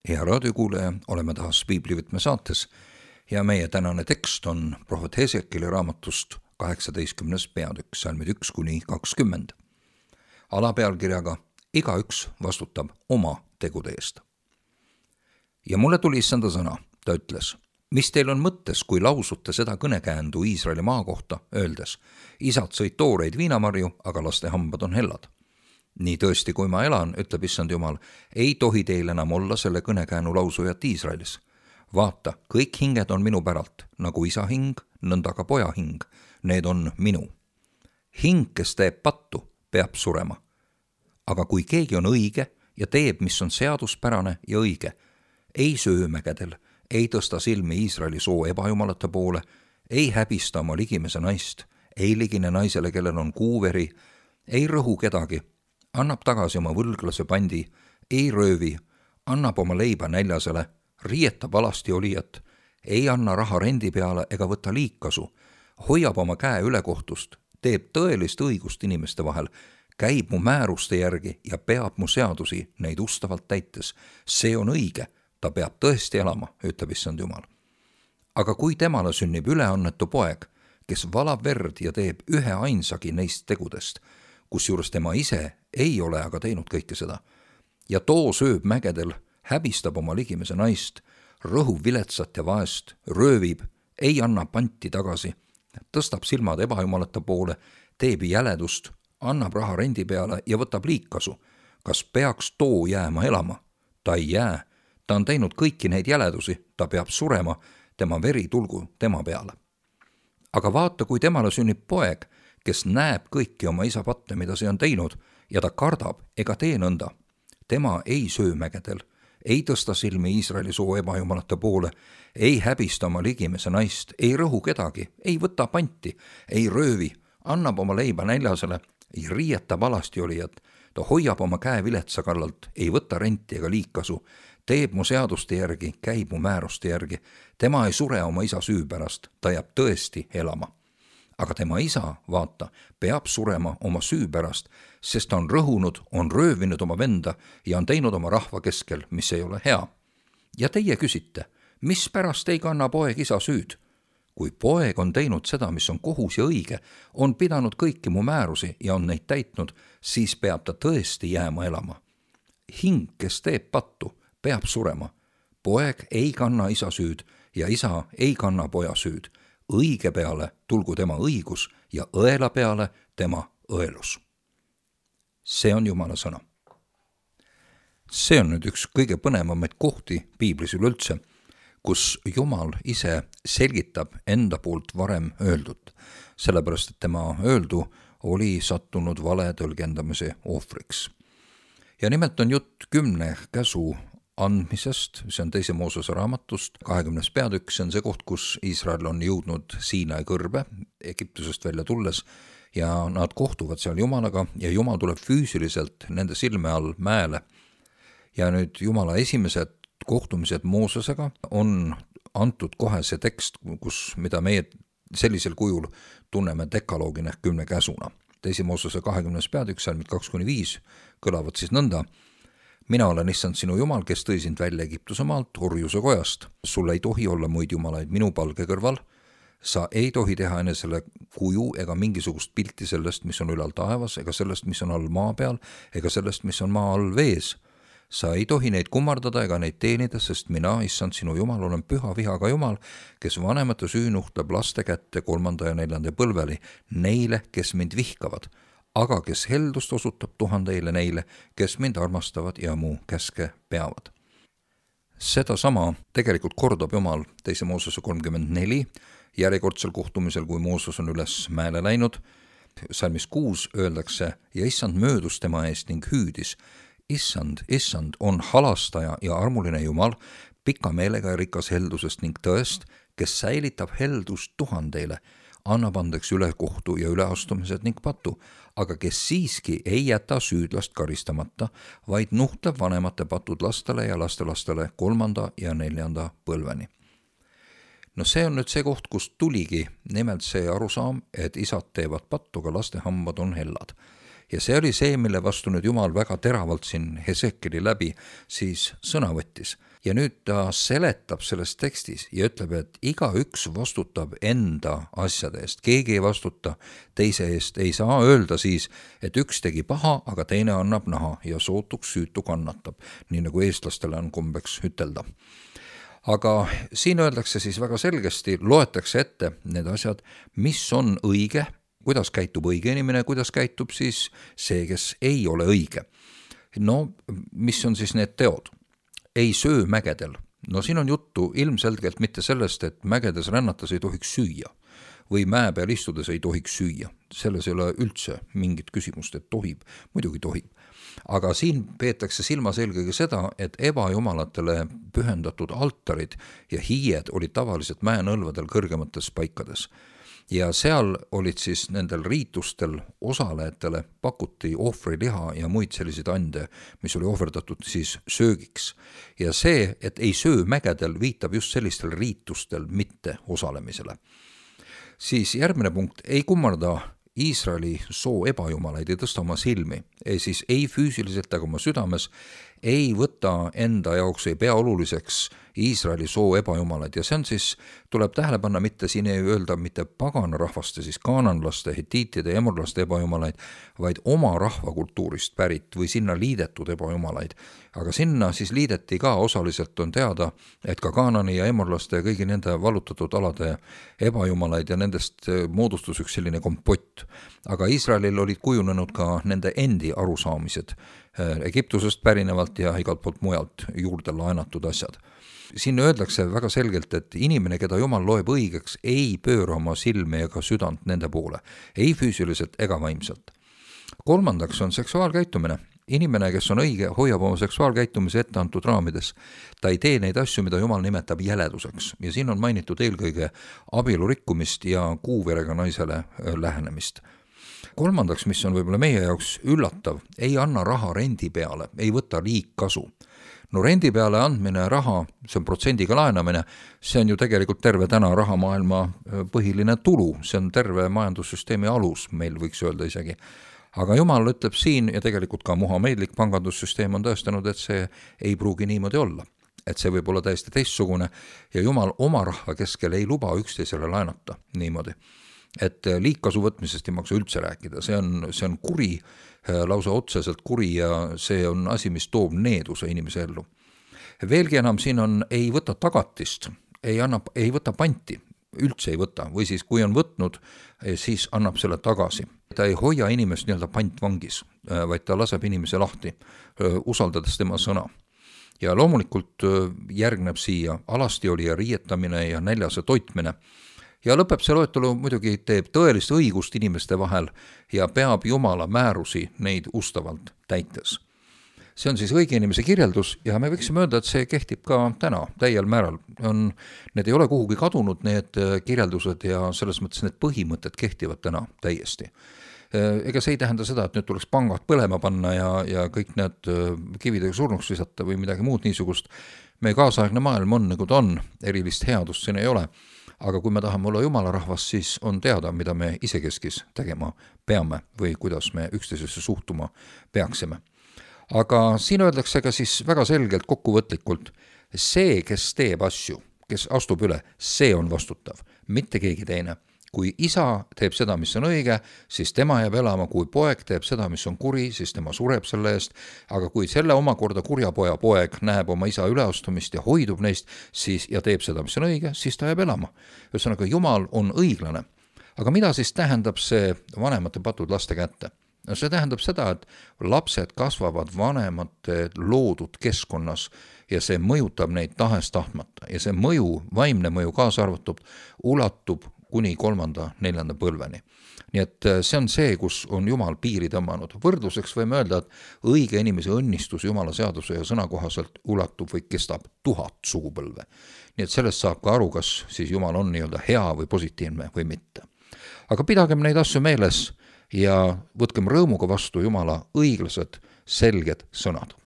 Hea raadiokuulaja, oleme taas Piiblivõtme saates ja meie tänane tekst on prohvet Hesekieli raamatust 18. peatükk, salmid 1-20. Alapealkirjaga Igaüks vastutab oma tegude eest. Ja mulle tuli issanda sõna, ta ütles, mis teil on mõttes, kui lausute seda kõnekäändu Iisraeli maa kohta, öeldes, isad sõid tooreid viinamarju, aga laste hambad on hellad. Nii tõesti, kui ma elan, ütleb issand Jumal, ei tohi teil enam olla selle kõnekäänu lausujat Iisraelis. Vaata, kõik hinged on minu päralt, nagu isa hing, nõnda ka poja hing. Need on minu. Hing, kes teeb pattu, peab surema. Aga kui keegi on õige ja teeb, mis on seaduspärane ja õige, ei söö mägedel, ei tõsta silmi Iisraeli soo ebajumalate poole, ei häbista oma ligimese naist, ei ligine naisele, kellel on kuuveri, ei rõhu kedagi, annab tagasi oma võlglase pandi, ei röövi, annab oma leiba näljasele, riietab alasti olijat, ei anna raha rendi peale ega võta liigkasu, hoiab oma käe ülekohtust, teeb tõelist õigust inimeste vahel, käib mu määruste järgi ja peab mu seadusi neid ustavalt täites. See on õige, ta peab tõesti elama, ütleb issand Jumal. Aga kui temale sünnib üleannetu poeg, kes valab verd ja teeb ühe ainsagi neist tegudest, kusjuures tema ise ei ole aga teinud kõike seda. Ja too sööb mägedel, häbistab oma ligimese naist, rõhub viletsat ja vaest, röövib, ei anna panti tagasi, tõstab silmad ebajumalate poole, teeb jäledust, annab raha rendi peale ja võtab liigkasu. Kas peaks too jääma elama? Ta ei jää, ta on teinud kõiki neid jäledusi, ta peab surema, tema veri tulgu tema peale. Aga vaata, kui temale sünnib poeg, kes näeb kõiki oma isa patte, mida see on teinud, ja ta kardab ega tee nõnda. Tema ei söö mägedel, ei tõsta silmi Iisraeli soo ebajumalate poole, ei häbista oma ligimese naist, ei rõhu kedagi, ei võta panti, ei röövi, annab oma leiba näljasele, ei riietab alasti olijat, ta hoiab oma käe viletsa kallalt, ei võta renti ega liigkasu, teeb mu seaduste järgi, käib mu määruste järgi, tema ei sure oma isa süü pärast, ta jääb tõesti elama. Aga tema isa, vaata, peab surema oma süü pärast, sest ta on rõhunud, on röövinud oma venda ja on teinud oma rahva keskel, mis ei ole hea. Ja teie küsite, mis pärast ei kanna poeg isa süüd? Kui poeg on teinud seda, mis on kohus ja õige, on pidanud kõiki mu määrusi ja on neid täitnud, siis peab ta tõesti jääma elama. Hing, kes teeb pattu, peab surema. Poeg ei kanna isa süüd ja isa ei kanna poja süüd. Õige peale tulgu tema õigus ja õela peale tema õelus. See on Jumala sõna. See on nüüd üks kõige põnevamaid kohti piiblis üleüldse, kus Jumal ise selgitab enda poolt varem öeldut, sellepärast et tema öeldu oli sattunud vale tõlgendamise ohvriks. Ja nimelt on jutt 10 käsu andmisest, see on 2. Moosese raamatust, 20. peatükk, see on see koht, kus Iisrael on jõudnud Siinai kõrbe Egiptusest välja tulles ja nad kohtuvad seal Jumalaga ja Jumal tuleb füüsiliselt nende silme all mäele. Ja nüüd Jumala esimesed kohtumised Moosesega on antud kohe see tekst, mida meie sellisel kujul tunneme dekaloogina 10 käsuna. 2. Moosese 20. peatükk, salmid 2-5 kõlavad siis nõnda. Mina olen issand sinu Jumal, kes tõi sind välja Egiptuse maalt, orjuse kojast. Sul ei tohi olla muid jumalaid minu palge kõrval. Sa ei tohi teha enesele kuju ega mingisugust pilti sellest, mis on ülal taevas, ega sellest, mis on all maa peal, ega sellest, mis on maa all vees. Sa ei tohi neid kummardada ega neid teenida, sest mina, issand sinu Jumal, olen püha vihaga Jumal, kes vanemate süü nuhtleb laste kätte 3. ja 4. põlveli, neile, kes mind vihkavad. Aga kes heldust osutab 1000 neile, kes mind armastavad ja mu käske peavad. Seda sama tegelikult kordab Jumal 2. Moosese 34 järjekordsel kohtumisel, kui Mooses on üles mäele läinud. Salmis 6 öeldakse, ja issand möödus tema eest ning hüüdis. Issand on halastaja ja armuline Jumal, pika meelega ja rikas heldusest ning tõest, kes säilitab heldust 1000, annab andeks ülekohtu ja üleastumised ning patu, aga kes siiski ei jäta süüdlast karistamata, vaid nuhtleb vanemate patud lastele ja lastelastele 3. ja 4. põlveni. No see on nüüd see koht, kus tuligi nimelt see arusaam, et isad teevad pattu, aga laste hambad on hellad. Ja see oli see, mille vastu nüüd Jumal väga teravalt siin Hesekieli läbi siis sõna võttis. Ja nüüd ta seletab selles tekstis ja ütleb, et igaüks vastutab enda asjade eest. Keegi ei vastuta teise eest. Ei saa öelda siis, et üks tegi paha, aga teine annab naha ja sootuks süütu kannatab, nii nagu eestlastele on kombeks ütelda. Aga siin öeldakse siis väga selgesti, loetakse ette need asjad, mis on õige, kuidas käitub õige inimene, kuidas käitub siis see, kes ei ole õige. No, mis on siis need teod? Ei söö mägedel. No siin on juttu ilmselgelt mitte sellest, et mägedes rännates ei tohiks süüa või mäe peal istudes ei tohiks süüa. Selles ei ole üldse mingit küsimust, et tohib, muidugi tohib. Aga siin peetakse silmas eelkõige seda, et ebajumalatele pühendatud altarid ja hiied olid tavaliselt mäenõlvadel kõrgemates paikades. Ja seal olid siis nendel riitustel osalejatele pakuti ohvriliha ja muid selliseid ande, mis oli ohverdatud siis söögiks. Ja see, et ei söö mägedel, viitab just sellistel riitustel mitte osalemisele. Siis järgmine punkt, ei kummarda Iisraeli soo ebajumalaid, ei tõsta oma silmi, siis ei füüsiliselt ega oma südames, ei võta enda jaoks, ei pea oluliseks Iisraeli soo ebajumalaid ja see on siis, tuleb tähele panna, mitte siin ei öelda mitte pagana rahvaste, siis kaananlaste, hetiitide, emorlaste ebajumalaid, vaid oma rahvakultuurist pärit või sinna liidetud ebajumalaid. Aga sinna siis liideti ka osaliselt on teada, et ka kaanani ja emorlaste ja kõigi nende vallutatud alade ebajumalaid ja nendest moodustus üks selline kompott. Aga Iisraelil olid kujunenud ka nende endi arusaamised Egiptusest pärinevalt ja igalt poolt mujalt juurde laenatud asjad. Siin öeldakse väga selgelt, et inimene, keda Jumal loeb õigeks, ei pööra oma silme ega südant nende poole, ei füüsiliselt ega vaimselt. Kolmandaks on seksuaalkäitumine. Inimene, kes on õige, hoiab oma seksuaalkäitumise ette antud raamides. Ta ei tee neid asju, mida Jumal nimetab jäleduseks. Ja siin on mainitud eelkõige abielurikkumist ja kuuverega naisele lähenemist. Kolmandaks, mis on võib-olla meie jaoks üllatav, ei anna raha rendi peale, ei võta liigkasu. No rendi peale andmine raha, see on protsendiga laenamine, see on ju tegelikult terve täna rahamaailma põhiline tulu, see on terve majandussüsteemi alus, meil võiks öelda isegi. Aga Jumal ütleb siin ja tegelikult ka muhameedlik pangandussüsteem on tõestanud, et see ei pruugi niimoodi olla. Et see võib olla täiesti teistsugune ja Jumal oma rahva keskel ei luba üksteisele laenata niimoodi. Et liigkasu võtmisest ei maksa üldse rääkida, see on kuri, lausa otseselt kuri ja see on asi, mis toob needuse inimese ellu. Veelgi enam siin on, ei võta tagatist, ei võta panti, üldse ei võta, või siis kui on võtnud, siis annab selle tagasi. Ta ei hoia inimest nii-öelda pantvangis, vaid ta laseb inimese lahti, usaldades tema sõna. Ja loomulikult järgneb siia alasti oli ja riietamine ja näljase toitmine. Ja lõpeb see loetelu muidugi teeb tõelist õigust inimeste vahel ja peab Jumala määrusi neid ustavalt täites. See on siis õige inimese kirjeldus ja me võiksime öelda, et see kehtib ka täna täiel määral. Need ei ole kuhugi kadunud, need kirjeldused ja selles mõttes need põhimõtted kehtivad täna täiesti. Ega see ei tähenda seda, et nüüd tuleks pangad põlema panna ja kõik need kividega surnuks visata või midagi muud niisugust. Meie kaasaegne maailm on nagu ta on, erilist headust siin ei ole. Aga kui me tahame olla Jumala rahvas, siis on teada, mida me isekeskis tegema peame või kuidas me üksteisesse suhtuma peaksime. Aga siin öeldakse ka siis väga selgelt kokkuvõtlikult, see, kes teeb asju, kes astub üle, see on vastutav, mitte keegi teine. Kui isa teeb seda, mis on õige, siis tema jääb elama, kui poeg teeb seda, mis on kuri, siis tema sureb selle eest, aga kui selle omakorda kurja poeg näeb oma isa üleastumist ja hoidub neist siis, ja teeb seda, mis on õige, siis ta jääb elama. Ühesõnaga, Jumal on õiglane. Aga mida siis tähendab see vanemate patud laste kätte? No see tähendab seda, et lapsed kasvavad vanemate loodud keskkonnas ja see mõjutab neid tahes tahtmata ja see mõju, vaimne mõju kaasa arvatud, ulatub kuni 3.–4. põlveni. Nii et see on see, kus on Jumal piiri tõmmanud. Võrdluseks võime öelda, et õige inimese õnnistus Jumala seaduse ja sõna kohaselt ulatub või kestab 1000 sugupõlve. Nii et sellest saab ka aru, kas siis Jumal on nii-öelda hea või positiivne või mitte. Aga pidagem neid asju meeles ja võtkem rõõmuga vastu Jumala õiglased, selged sõnad.